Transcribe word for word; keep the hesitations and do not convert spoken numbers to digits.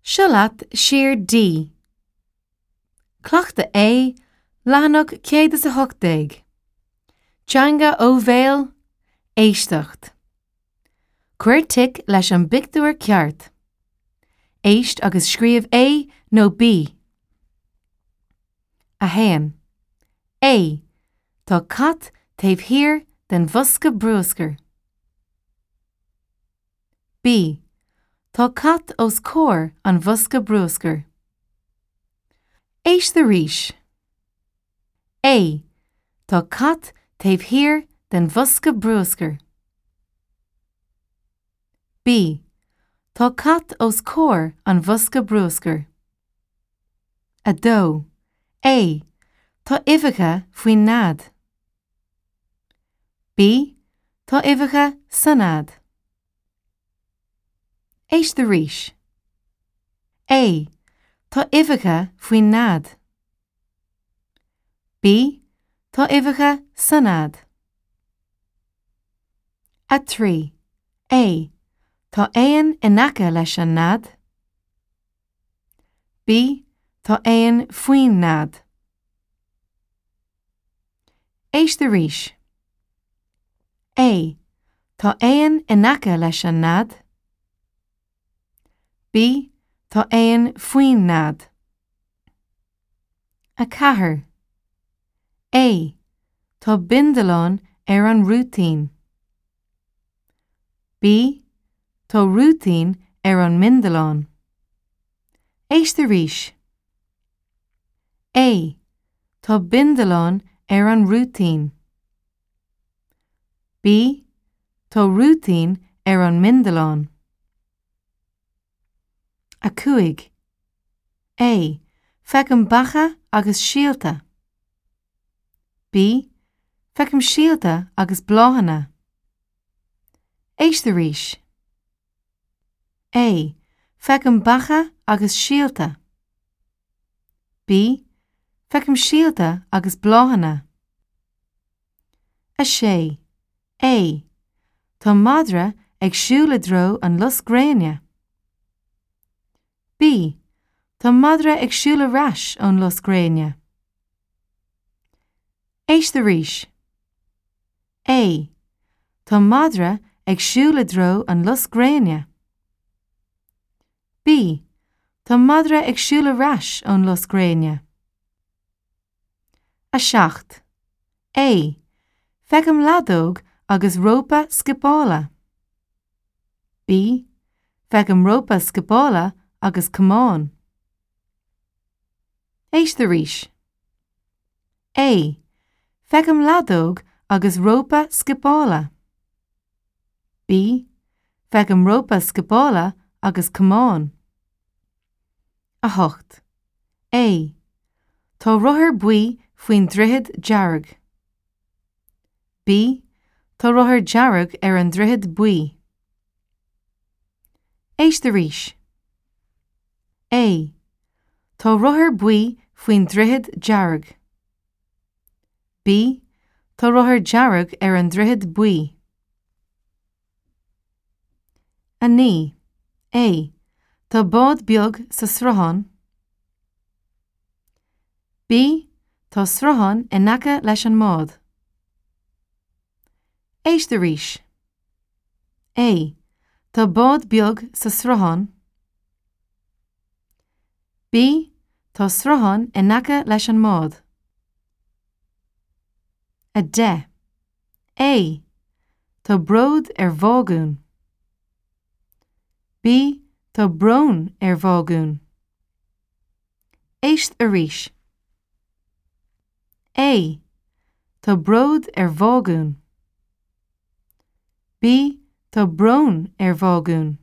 Seo leat sir D. Cleachtadh A, leathanach céad is a hocht déag. Teanga ó bhéal, éisteacht. Cuir tic leis an bpictiúr ceart. Éist agus scríobh A nó B. A haon. A. Tá cat taobh thiar den bhosca bruscair. B. Tá cat os comhair an bhosca bruscair. Éist arís. A. Tá cat taobh thiar den bhosca bruscair. B. Tá cat os comhair an bhosca bruscair. A dó. A. Tá uibheacha faoin nead. B. Tá uibheacha sa nead. Éist arís. A. Tá uibheacha faoin nead. B. Tá uibheacha sa nead. A trí. A. Tá éan in aice leis an nead. B. Tá éan faoin nead. Éist arís. A. Tá éan in aice leis an nead. B. Tá éan faoin nead. A ceathair. A. Tá bindealán ar an rúitín. B. Tá rúitín ar an mbindealán. Éist arís. A. Tá bindealán ar an rúitín. B. Tá rúitín ar an mbindealán. A cúig. A. Feicim beacha agus síolta. B. Feicim síolta agus bláthanna. Éist arís. A. Feicim beacha agus síolta. B. Feicim síolta agus bláthanna. A sé. A. Tá madra ag siúl i dtreo an lus gréine. B. Tá madra ag siúl ar ais ón lus gréine. Éist arís. A. Tá madra ag siúl i dtreo an lus gréine. B. Tá madra ag siúl ar ais ón lus gréine. A seacht. A. Feicim leadóg agus rópa scipeála. B. Feicim rópa scipeála agus camán. Éist arís. A. Feicim leadóg agus rópa scipeála. B. Feicim rópa scipeála agus camán. A hocht. A. Tá rothar buí faoin droichead dearg. B. Tá rothar dearg ar an droichead buí. Éist arís. A. Tá rothar buí faoin droichead dearg. B. Tá rothar dearg ar an droichead buí. A naoi. A. Tá bád beag sa sruthán. B. Tá sruthán in aice leis an mbád. Éist arís. A. Tá bád beag sa sruthán. B. Tá sruthán in aice leis an mbád. A deich. A. Tá bród ar bhágún. B. Tá brón ar bhágún. Éist arís. A. Tá bród ar bhágún. B. Tá brón ar bhágún.